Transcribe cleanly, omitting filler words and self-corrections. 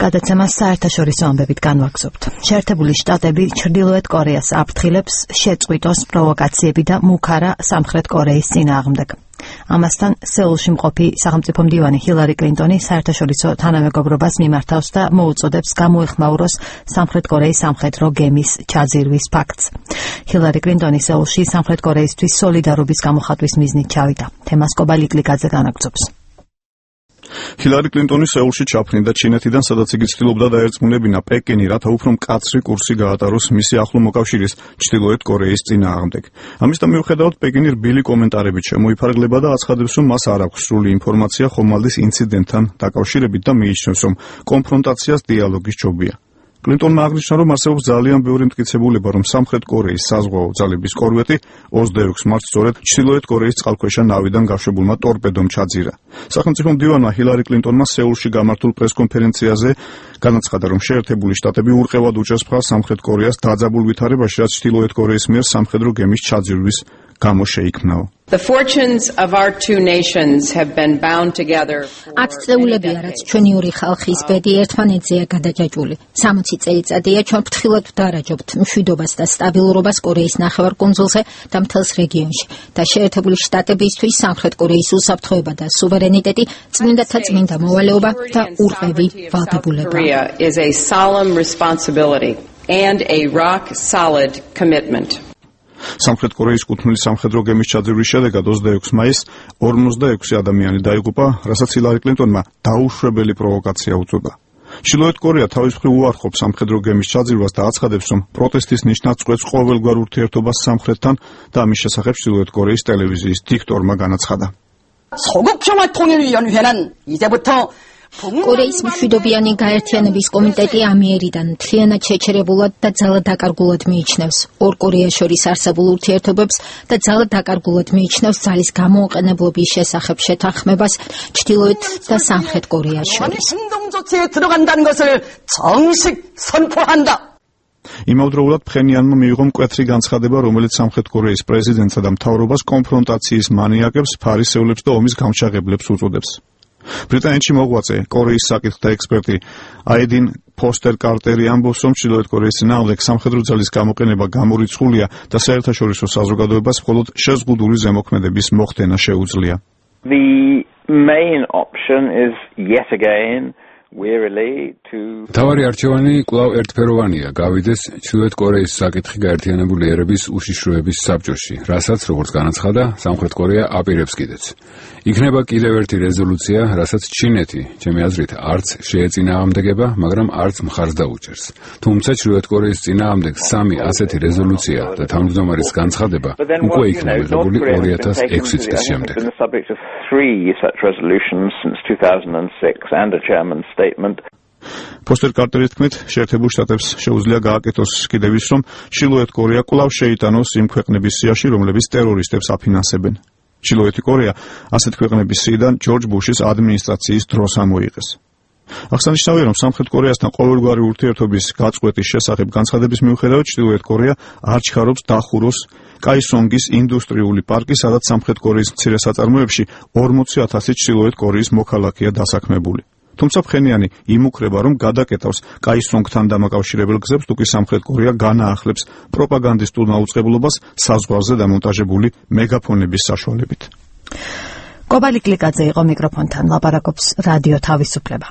გადაცემას საერთაშორისო ამბებით განვაგრძობთ. შეერთებული შტატები ჩრდილოეთ კორეას აფრთხილებს შეწყვიტოს პროვოკაციები და მუქარა სამხრეთ კორეის წინააღმდეგ. ამასთან სეულში მყოფი სახელმწიფო მდივანი ჰილარი კლინტონი საერთაშორისო თანამეგობრობას მიმართავს და მოუწოდებს გამოეხმაუროს სამხრეთ კორეის სამხედრო გემის ჩაძირვის ფაქტს. ჰილარი კლინტონი სეულში სამხრეთ კორეისთვის სოლიდარობის გამოხატვის მიზნით ჩავიდა. თემას კობალიკლიკაძე განაგრძობს. ჰილარი კლინტონი სეულში ჩაფრინდა ჩინეთიდან, სადაც იგი ცდილობდა დაერწმუნებინა პეკინი, რათა უფრო მკაცრი კურსი გაატაროს მისი ახლო მოკავშირის ჩრდილოეთ კორეის წინააღმდეგ. ამის მიუხედავად პეკინი რბილი კომენტარებით შემოიფარგლება და აცხადებს, რომ მას არ აქვს სრული ინფორმაცია ხომალდის ინციდენტთან დაკავშირებით და მიიჩნევს, რომ კონფრონტაციას დიალოგის ჯობია. კლინტონმა აღნიშნა, რომ არსებობს ძალიან ბევრი მტკიცებულება, რომ სამხრეთ კორეის საზღვაო ძალების კორვეტი 26 მარტს სწორედ ჩრდილოეთ კორეის წყალქვეშა ნავიდან გაშვებულმა ტორპედომ ჩაძირა. სახელმწიფო მდივანმა ჰილარი კლინტონმა სეულში გამართულ პრესკონფერენციაზე განაცხადა, რომ შეერთებული შტატები ურყევად უჭერს მხარს სამხრეთ კორეას დაძაბულ ვითარებაში, რაც ჩრდილოეთ კორეის მიერ სამხედრო გემის ჩაძირვის გამო შეიქმნაო. ათწლეულებია, რაც ჩვენი ორი ხალხის ბედი ერთმანეთზეა გადაჯაჭვული. 60 წელიწადია ჩვენ ფრთხილად ვდარაჯობთ მშვიდობას და სტაბილურობას კორეის ნახევარკუნძულზე და მთელს რეგიონში. და შეერთებული შტატებისთვის სამხრეთ კორეის უსაფრთხოება და სუვერენიტეტი წმინდათა წმინდა მოვალეობა და ურყევი ვალდებულება. სამხრეთ კორეის კუთვნილი სამხედრო გემის ჩაძირვის შედეგად 26 მაისს 46 ადამიანი დაიღუპა, რასაც ჰილარი კლინტონმა დაუშვებელი პროვოკაცია უწოდა. ჩრდილოეთ კორეა თავის მხრივ უარყოფს სამხედრო გემის ჩაძირვას და აცხადებს, რომ პროტესტის ნიშნად წყვეტს ყოველგვარ ურთიერთობას სამხრეთთან და ამის შესახებ ჩრდილოეთ კორეის ტელევიზიის დიქტორმა განაცხადა. კორეის მშვიდობიანი გაერთიანების კომიტეტი ამიერიდან მთლიანად შეჩერებულად და ძალად დაკარგულად მიიჩნევს ორ კორეას შორის არსებულ ურთიერთობებს და ძალად დაკარგულად მიიჩნევს ძალის გამოუყენებლობის შესახებ შეთანხმებას ჩრდილოეთ და სამხრეთ კორეას შორის. იმავდროულად ფხენიანმა მიიღო მკვეთრი განცხადება, რომელიც სამხრეთ კორეის პრეზიდენტსა და მთავრობას კონფრონტაციის მანიაკებს, ფარისევლებს და ომის გამჩაღებლებს უწოდებს. ბრიტანეთში მოღვაწე კორეის საკითხთა ექსპერტი აიდინ ფოსტერ კარტერი ამბობს, რომ ჩრდილოეთ კორეის წინააღმდეგ სამხედრო ძალის გამოყენება გამორიცხულია და საერთაშორისო საზოგადოებას მხოლოდ შეზღუდული ზემოქმედების მოხდენა შეუძლია. The main option is yet again თავარი არჩევანი კვლავ ერთფეროვანია, გავიდეს ჩრდილოეთ კორეის საკითხი გაერთიანებული ერების უშიშროების საბჭოში, რასაც, როგორც განაცხადა, სამხრეთ კორეა აპირებს კიდეც. იქნება კიდევ ერთი რეზოლუცია, რასაც ჩინეთი, ჩემი აზრით, არც შეეწინააღმდეგება, მაგრამ არც მხარს დაუჭერს. თუმცა ჩრდილოეთ კორეის წინააღმდეგ 3 ასეთი რეზოლუცია და თავმჯდომარის განცხადება უკვე იქნა მიღებული 2006 წლის შემდეგ. ფოსტერ კარტერის თქმით, შეერთებულ შტატებს შეუძლია გააკეთოს კიდევ ის, რომ ჩრდილოეთ კორეა კვლავ შეიტანოს იმ ქვეყნების სიაში, რომლებიც ტერორისტებს აფინანსებენ. ჩრდილოეთი კორეა ასეთ ქვეყნების სიიდან ჯორჯ ბუშის ადმინისტრაციის დროს ამოიღეს. აღსანიშნავია, რომ სამხრეთ კორეასთან ყოველგვარი ურთიერთობის გაწყვეტის შესახებ განცხადების მიუხედავად ჩრდილოეთ კორეა არ ჩქარობს დახუროს კაისონგის ინდუსტრიული პარკი, სადაც სამხრეთ კორეის მცირე საწარმოებში 40,000 ჩრდილოეთ კორეის მოქალაქეა დასაქმებული. თუმცა ფხენიანი იმუქრება, რომ გადაკეტავს კაისონგთან დამაკავშირებელ გზებს, თუკი სამხრეთ კორეა განაახლებს პროპაგანდისტულ მაუწყებლობას საზღვარზე დამონტაჟებული მეგაფონების საშუალებით. კობალიკლიკაძე იყო მიკროფონთან, ლაპარაკობს რადიო თავისუფლება.